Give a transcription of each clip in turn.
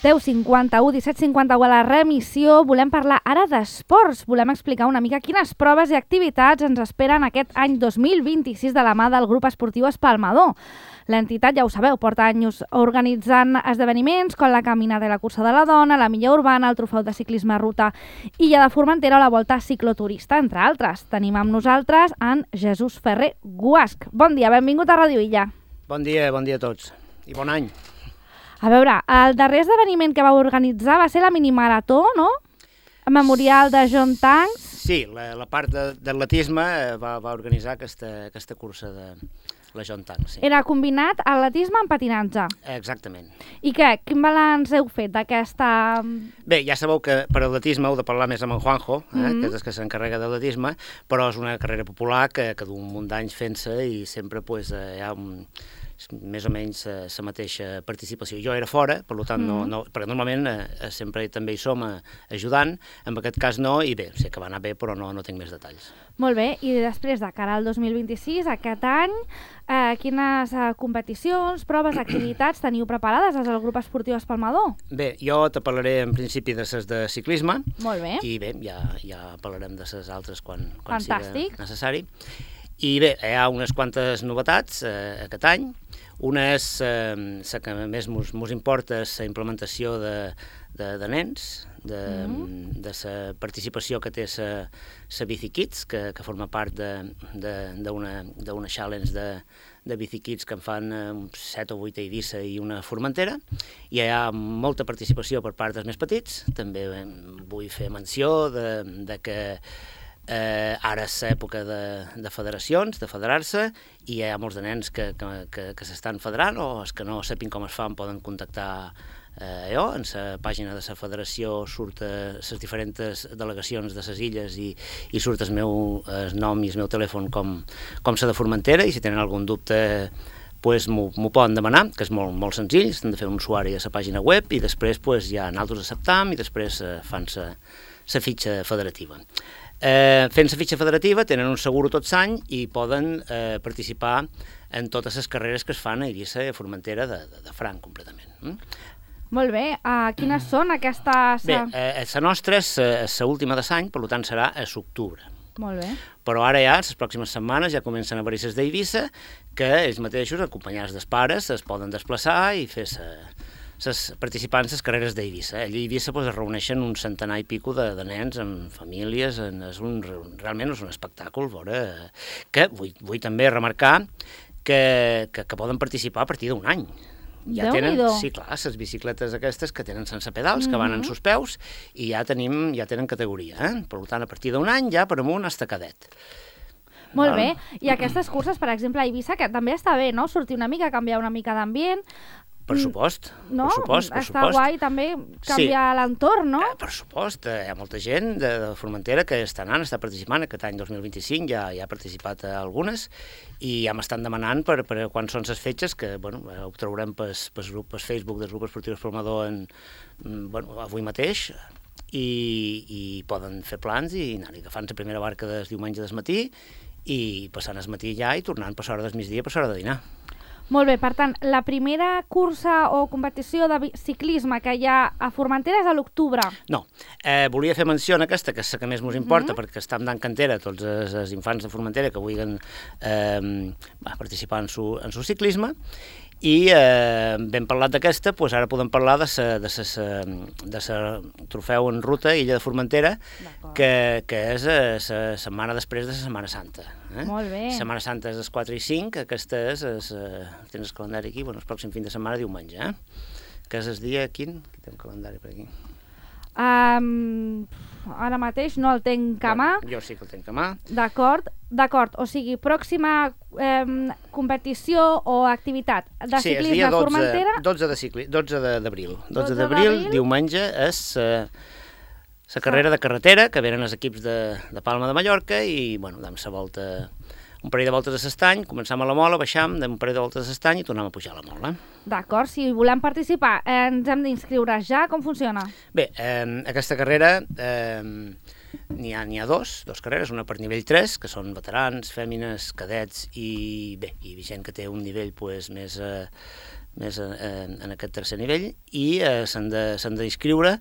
10:51, 17:51 a la remissió. Volem parlar ara d'esports. Volem explicar una mica quines proves i activitats ens esperen aquest any 2026 de la mà del grup esportiu Espalmador. L'entitat, ja ho sabeu, porta anys organitzant esdeveniments com la Caminada i la Cursa de la Dona, la Milla Urbana, el Trofeu de Ciclisme Ruta Illa de Formentera o la Volta Cicloturista, entre altres. Tenim amb nosaltres en Jesús Ferrer Guasch. Bon dia, benvingut a Ràdio Illa. Bon dia a tots i bon any. A veure, el darrer esdeveniment que vau organitzar va ser la minimarató, no? El memorial de John Tanks. Sí, la part d'atletisme va organitzar aquesta cursa de la John Tanks. Sí. Era combinat atletisme amb patinatge. Exactament. I què? Quin balanç heu fet d'aquesta... Bé, ja sabeu que per atletisme heu de parlar més amb en Juanjo, que és el que s'encarrega d'atletisme, però és una carrera popular que du un munt d'anys fent-se i sempre hi ha més o menys la mateixa participació. Jo era fora, per tant, perquè normalment sempre també hi som ajudant, en aquest cas no, i bé, sé que va anar bé, però no tinc més detalls. Molt bé, i després de cara al 2026, aquest any, quines competicions, proves, activitats teniu preparades des del grup esportiu Espalmador? Bé, jo te parlaré en principi de les de ciclisme. Molt bé. I bé, ja parlarem de les altres quan sigui necessari. I bé, hi ha unes quantes novetats aquest any. Una és, la que més mos importa, és la implementació de nens, de la participació que té la BiciKids, que forma part d'una challenge de BiciKids que en fan 7 o 8 a Eivissa i una a Formentera, i hi ha molta participació per part dels més petits. També vull fer menció de que ara és l'època de federacions, de federar-se, i hi ha molts de nens que s'estan federant, o els que no sapin com es fan poden contactar en la pàgina de la federació surt les diferents delegacions de les illes i surt el meu nom i el meu telèfon com la de Formentera, i si tenen algun dubte m'ho poden demanar, que és molt senzill. Estan de fer un usuari a la pàgina web i després ja nosaltres acceptam i després fan la fitxa federativa. Fent la fitxa federativa tenen un seguro tot l'any i poden participar en totes les carreres que es fan a Eivissa i a Formentera de franc completament. Molt bé, quines són aquestes... Bé, la nostra és l'última de l'any, per tant serà a l'octubre. Molt bé. Però ara les pròximes setmanes ja comencen a haver-hi les d'Eivissa, que ells mateixos, acompanyats dels pares, es poden desplaçar i fer participants les carreres d'Eivissa. Allà a Eivissa es reuneixen un centenar i pico de nens amb famílies, realment és un espectacle, que vull també remarcar que poden participar a partir d'un any. Ja tenen, sí, clar, les bicicletes aquestes que tenen sense pedals, que van en sus peus, i ja tenen categoria. Per tant, a partir d'un any ja per amunt hasta cadet. Molt bé, i aquestes curses, per exemple, a Eivissa, que també està bé, no? Sortir una mica, canviar una mica d'ambient. Per supost, no? Per supost. Està guai també canviar l'entorn, no? Per supost, hi ha molta gent de Formentera que està participant. Aquest any 2025 ja ha participat a algunes i ja m'estan demanant per quan són les fetges, que ho trobarem per Facebook del grup esportiu Espalmador avui mateix, i poden fer plans i anar agafant la primera barca del diumenge del matí i passant el matí ja i tornant per l'hora del migdia, per l'hora de dinar. Molt bé, per tant, la primera cursa o competició de ciclisme que hi ha a Formentera és a l'octubre. No, volia fer menció en aquesta, que és la que més ens importa, perquè està dant cantera tots els infants de Formentera que vulguin participar en su ciclisme, i ben parlat d'aquesta, ara podem parlar de la trofeu en ruta Illa de Formentera, que és la setmana després de la Setmana Santa. Molt bé. La Setmana Santa és el 4 i 5, aquesta és, tens el calendari aquí, el pròxim fin de setmana, diumenge, que és el dia, quin? Aquí té un calendari per aquí. Ara mateix no el tenc a mà. Jo sí que el tenc a mà. D'acord, o sigui, pròxima competició o activitat de ciclisme a Formentera... 12 d'abril. 12 d'abril, diumenge, és la carrera de carretera, que venen els equips de Palma de Mallorca, i dam la volta, un parell de voltes a l'estany, començam a la Mola, baixam, un parell de voltes a l'estany i tornem a pujar a la Mola. D'acord, si volem participar, ens hem d'inscriure ja, com funciona? Bé, aquesta carrera n'hi ha dos carreres, una per nivell 3, que són veterans, fèmines, cadets i gent que té un nivell més més en aquest tercer nivell, i s'han d'inscriure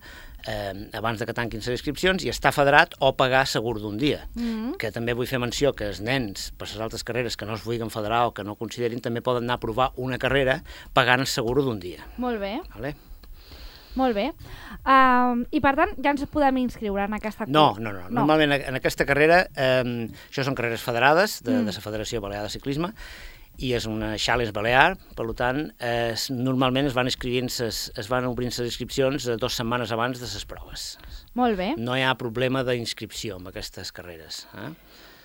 abans de que tanquin les inscripcions i estar federat o pagar segur d'un dia. Que també vull fer menció que els nens, per les altres carreres que no es vulguin federar o que no considerin, també poden anar a provar una carrera pagant el segur d'un dia. Molt bé. Vale? Molt bé. I per tant, ja ens podem inscriure en aquesta No. Normalment en aquesta carrera, això són carreres federades de la Federació Balear de Ciclisme, i és una Challenge Balear, per tant, normalment es van obrint les inscripcions 2 setmanes abans de les proves. Molt bé. No hi ha problema d'inscripció en aquestes carreres.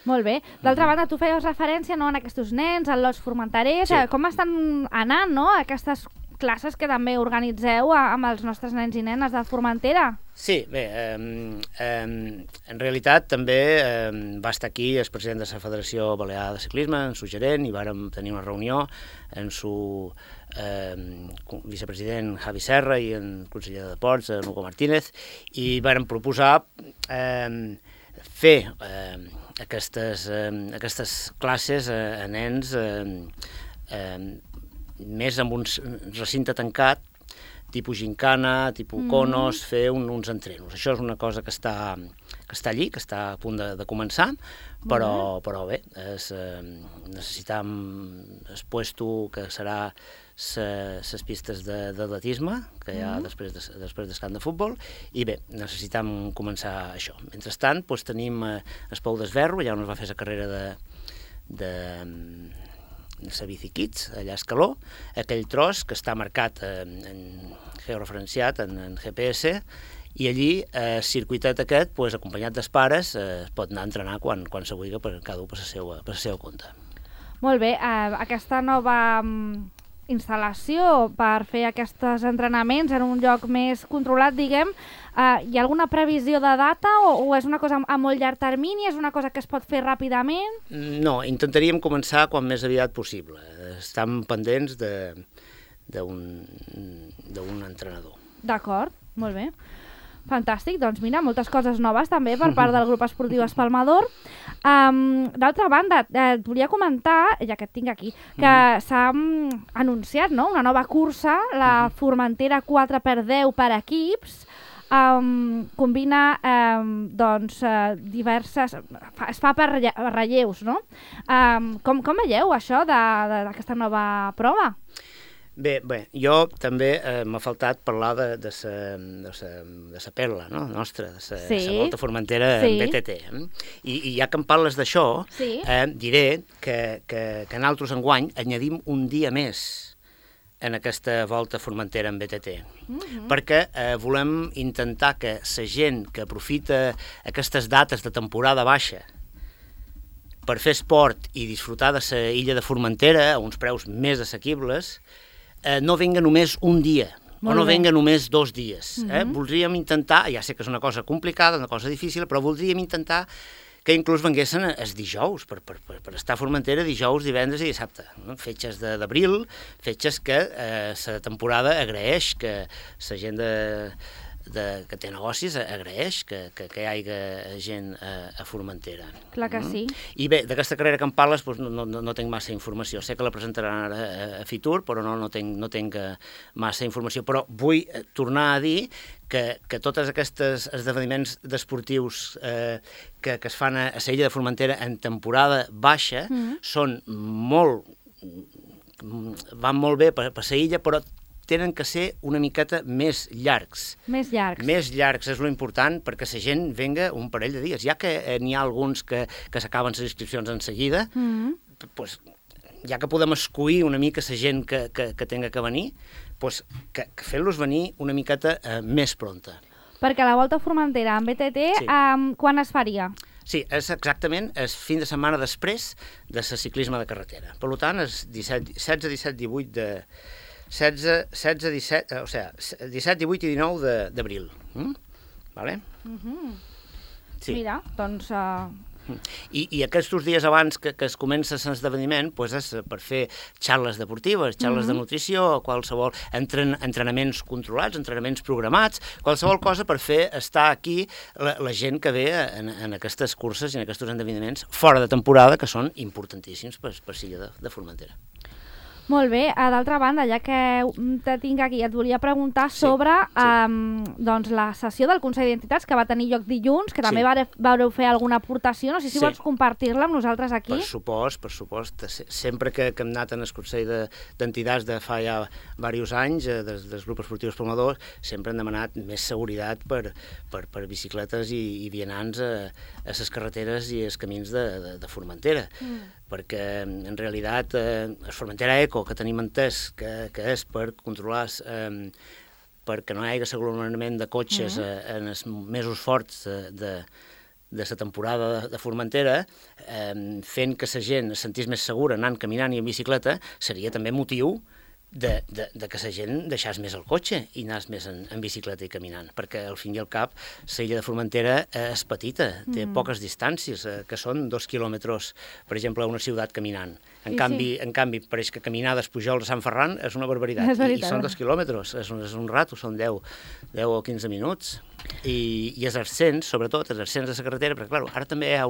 Molt bé. D'altra banda, tu feies referència en aquests nens, en los formenterers, com estan anant aquestes classes que també organitzeu amb els nostres nens i nenes de Formentera? Sí, bé, en realitat també va estar aquí el president de la Federació Balear de Ciclisme, en su gerent, i vàrem tenir una reunió amb su vicepresident Javi Serra i el conseller de Deports, Hugo Martínez, i vàrem proposar fer aquestes classes a nens més amb un recinte tancat, tipus gincana, tipus conos, fer uns entrenos. Això és una cosa que està allí, que està a punt de començar, però bé, necessitam el puesto que serà les pistes d'atletisme que hi ha després del camp de futbol, i bé, necessitam començar això. Mentrestant, tenim el Pou d'Esverro, allà on es va fer la carrera de la Bici Kids, allà a Escaló, aquell tros que està marcat, georreferenciat en GPS, i allí el circuitet aquest, acompanyat dels pares, es pot anar a entrenar quan se vulgui, per cada un per la seva compte. Molt bé, aquesta nova instal·lació per fer aquests entrenaments en un lloc més controlat, diguem, hi ha alguna previsió de data o és una cosa a molt llarg termini, és una cosa que es pot fer ràpidament? No, intentaríem començar quan més aviat possible. Estem pendents d'un entrenador. D'acord, molt bé. Fantàstic, doncs mira, moltes coses noves també per part del grup esportiu Espalmador. D'altra banda, et volia comentar, ja que et tinc aquí, que s'ha anunciat una nova cursa, la Formentera 4x10 per equips, combina diverses... es fa per relleus, no? Com veieu això d'aquesta nova prova? Bé, jo també m'ha faltat parlar de la perla nostra, de la Volta Formentera en BTT. I ja que em parles d'això, diré que nosaltres enguany añadim un dia més en aquesta Volta Formentera en BTT, perquè volem intentar que la gent que aprofita aquestes dates de temporada baixa per fer esport i disfrutar de la illa de Formentera a uns preus més assequibles, no venga només un dia, o no venga només 2 dies. Voldríem intentar, ja sé que és una cosa complicada, una cosa difícil, però voldríem intentar que inclús venguessin els dijous, per estar a Formentera dijous, divendres i dissabte. Fetges d'abril, fetges que la temporada agraeix, que la gent que té negocis agraeix que hi hagi gent a Formentera. Clar que sí. I bé, d'aquesta carrera que em parles no tinc massa informació. Sé que la presentaran ara a Fitur, però no tinc massa informació. Però vull tornar a dir que tots aquests esdeveniments esportius que es fan a la illa de Formentera en temporada baixa van molt bé per la illa, però tenen que ser una miqueta més llargs. Més llargs. Més llargs és l'important perquè la gent venga un parell de dies. Ja que n'hi ha alguns que s'acaben les inscripcions en seguida, ja que podem escollir una mica la gent que tenga que venir, que fent-los venir una miqueta més pronta. Perquè la Volta Formentera en BTT, quan es faria? Sí, és exactament el fin de setmana després de la ciclisme de carretera. Per tant, és 16, 17, 18 de... 16, 17, o sigui, 17, 18 i 19 d'abril. Vale? Sí. Mira, doncs... I aquests dies abans que es comença l'esdeveniment és per fer xarles deportives, xarles de nutrició, qualsevol entrenaments controlats, entrenaments programats, qualsevol cosa per fer estar aquí la gent que ve en aquestes curses i en aquests esdeveniments fora de temporada, que són importantíssims per l'illa de Formentera. Molt bé. D'altra banda, ja que te tinc aquí, et volia preguntar sobre doncs, la sessió del Consell d'Entitats que va tenir lloc dilluns, que també vareu fer alguna aportació. No sé si vols compartir-la amb nosaltres aquí. Per supost. Sempre que hem anat en el Consell d'Entitats de fa ja diversos anys, dels grups esportius promovedors, sempre han demanat més seguretat per bicicletes i vianants a les carreteres i els camins de Formentera. Perquè en realitat el Formentera Eco, que tenim entès que és per controlar perquè no hi hagi aglomerament de cotxes en els mesos forts de la temporada de Formentera, fent que la gent es sentís més segura anant caminant i en bicicleta, seria també motiu de que la gent deixés més el cotxe i anés més en bicicleta i caminant, perquè al fin i al cap l'illa de Formentera és petita, té poques distàncies, que són 2 quilòmetres, per exemple, a una ciutat caminant. En canvi, pareix que caminar dels Pujols a Sant Ferran és una barbaritat, i són 2 quilòmetres, és un rato, són 10 o 15 minuts. I els ascens, sobretot, els ascens de la carretera, perquè, clar, ara també hi ha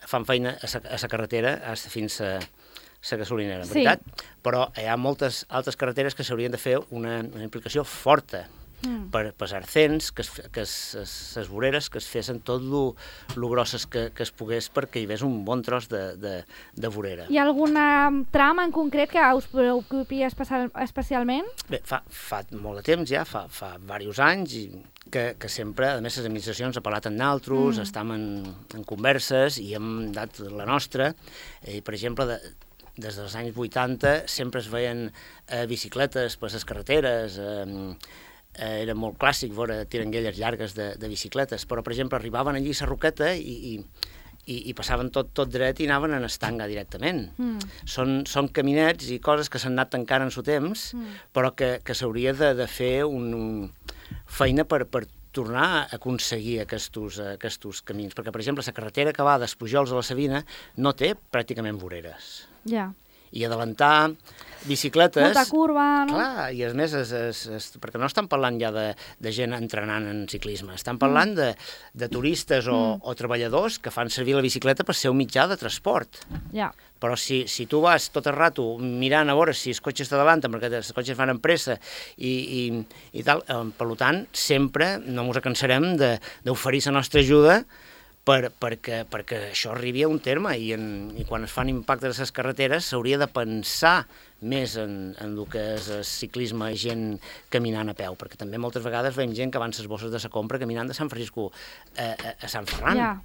fan feina a la carretera fins a la gasolinera, veritat? Però hi ha moltes altres carreteres que s'haurien de fer una implicació forta per els arcens, que les voreres, que es fessin tot lo grosses que es pogués perquè hi hagués un bon tros de vorera. Hi ha alguna trama en concret que us preocupi especialment? Bé, fa molt de temps ja, fa diversos anys, que sempre, a més, les administracions han parlat amb nosaltres, estem en converses i hem dat la nostra. Per exemple, des dels anys 80 sempre es veien bicicletes per les carreteres, era molt clàssic veure tiranguelles llargues de bicicletes, però, per exemple, arribaven allí a la Roqueta i passaven tot dret i anaven en estanga directament. Són caminets i coses que s'han anat tancant en el temps, però que s'hauria de fer una feina per tornar a aconseguir aquests camins. Perquè, per exemple, la carretera que va dels Pujols a la Sabina no té pràcticament voreres. Ja. I adelantar bicicletes... Molta curva, no? Clar, i a més, perquè no estan parlant ja de gent entrenant en ciclisme, estan parlant de turistes o treballadors que fan servir la bicicleta per ser un mitjà de transport. Ja. Però si tu vas tot el rato mirant a veure si els cotxes t'adalanten, perquè els cotxes van amb pressa i tal, per tant, sempre no ens cansarem d'oferir la nostra ajuda perquè això arribi a un terme i quan es fan impactes a les carreteres s'hauria de pensar més en el que és el ciclisme i gent caminant a peu, perquè també moltes vegades veiem gent que avança les bosses de la compra caminant de Sant Francisco a Sant Ferran. Ja.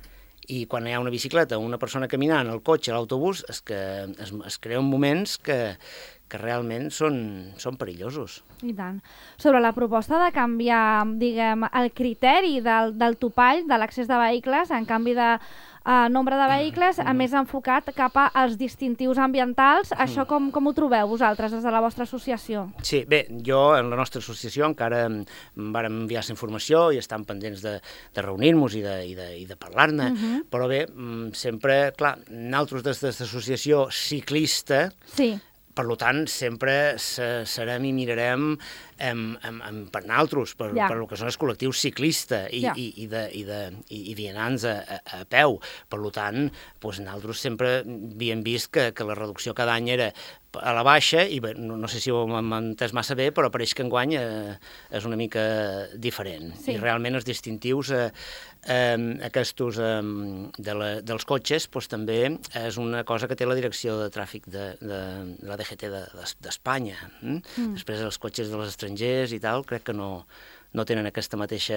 I quan hi ha una bicicleta o una persona caminant, el cotxe, l'autobús, es creen moments que realment són perillosos. I tant. Sobre la proposta de canviar, diguem, el criteri del topall de l'accés de vehicles, en canvi de nombre de vehicles, a més enfocat cap als distintius ambientals, això com ho trobeu vosaltres des de la vostra associació? Sí, bé, jo en la nostra associació encara vàrem enviar la informació i estem pendents de reunir-nos i de parlar-ne, però bé, sempre, clar, nosaltres des de l'associació ciclista, per tant, sempre serem i mirarem per nosaltres, per el que són els col·lectius ciclistes i vianants a peu. Per tant, nosaltres sempre havíem vist que la reducció cada any era a la baixa i no sé si ho hem entès massa bé, però pareix que enguany és una mica diferent. I realment els distintius aquests dels cotxes també és una cosa que té la direcció de tràfic de la DGT d'Espanya. Després els cotxes dels estrangers i tal, crec que no tenen aquesta mateixa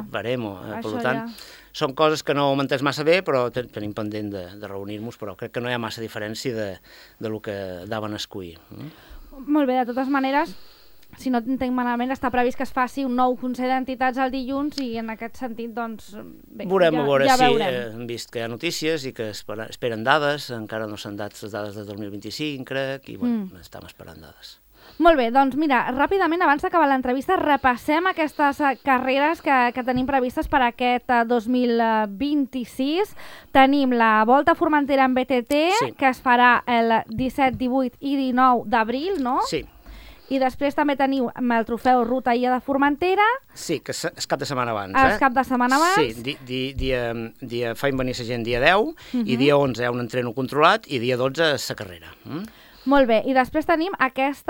baremo. Per tant, són coses que no ho hem entès massa bé, però tenim pendent de reunir-nos, però crec que no hi ha massa diferència del que daven a escollir. Molt bé, de totes maneres, si no entenc malament, està previst que es faci un nou Consell d'Entitats el dilluns i en aquest sentit, doncs, bé, veurem. Ja veurem. Hem vist que hi ha notícies i que esperen dades, encara no s'han dat les dades de 2025, crec, i estem esperant dades. Molt bé, doncs mira, ràpidament, abans d'acabar l'entrevista, repassem aquestes carreres que tenim previstes per aquest 2026. Tenim la Volta a Formentera en BTT, que es farà el 17, 18 i 19 d'abril, no? Sí. Sí. I després també teniu el trofeu Ruta Illa de Formentera. Sí, que és cap de setmana abans. El cap de setmana abans. Sí, faig venir la gent dia 10 i dia 11 hi ha un entreno controlat i dia 12 la carrera. Molt bé, i després tenim aquest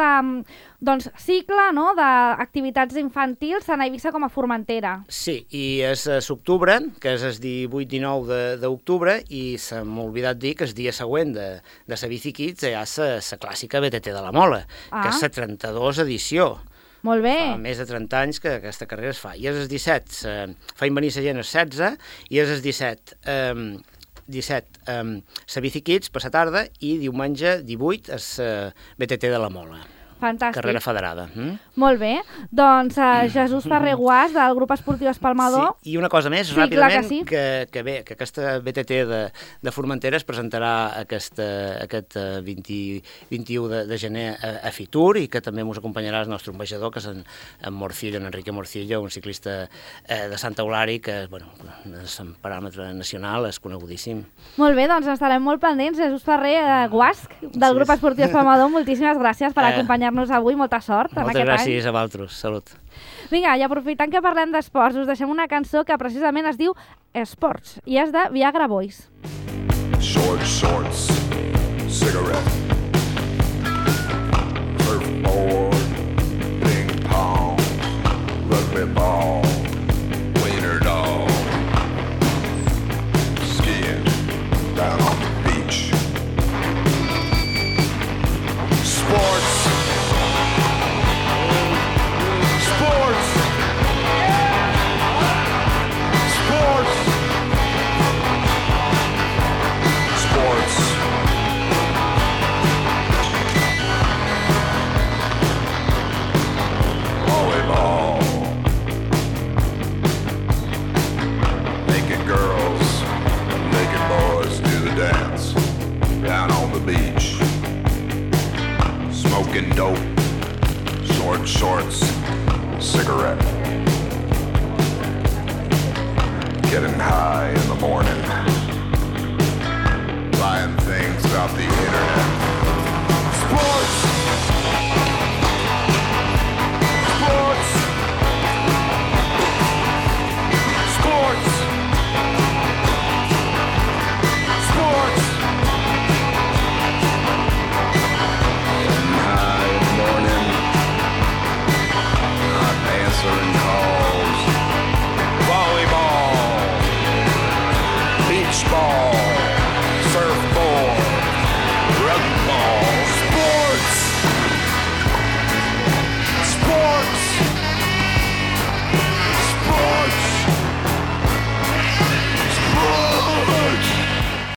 cicle, no?, d'activitats infantils tant a Eivissa com a Formentera. Sí, i és l'octubre, que és el 18-19 d'octubre, i se m'ha oblidat dir que el dia següent de la Bici Kids hi ha la clàssica BTT de la Mola, que és la 32 edició. Molt bé. Fa més de 30 anys que aquesta carrera es fa. I és el 17, feim venir la gent el 16, i és el 17, la Bici Kids per la tarda, i diumenge 18 és BTT de la Mola. Fantàstic. Carrera federada. Molt bé. Doncs Jesús Ferrer Guàs, del grup esportiu Espalmador. Sí, i una cosa més, sí, ràpidament, sí. que aquesta BTT de Formentera es presentarà aquest 21 de gener a Fitur, i que també ens acompanyarà el nostre ambaixador, que és en Morcillo, en Enrique Morcillo, un ciclista de Santa Eulària, que és en paràmetre nacional, és conegudíssim. Molt bé, doncs estarem molt pendents. Jesús Ferrer Guàs, del grup esportiu Espalmador, moltíssimes gràcies per acompanyar-nos avui, molta sort en aquest any. Moltes gràcies a vosaltres, salut. Vinga, i aprofitant que parlem d'esports, us deixem una cançó que precisament es diu Esports, i és de Viagra Boys. Shorts, cigarette, surfboard, ping pong, rugby ball, wiener dog, skiing down on the beach. Sports. Volleyball. Naked girls, naked boys do the dance down on the beach. Smoking dope, shorts, cigarette. Getting high in the morning. Buying things off the internet. Sports!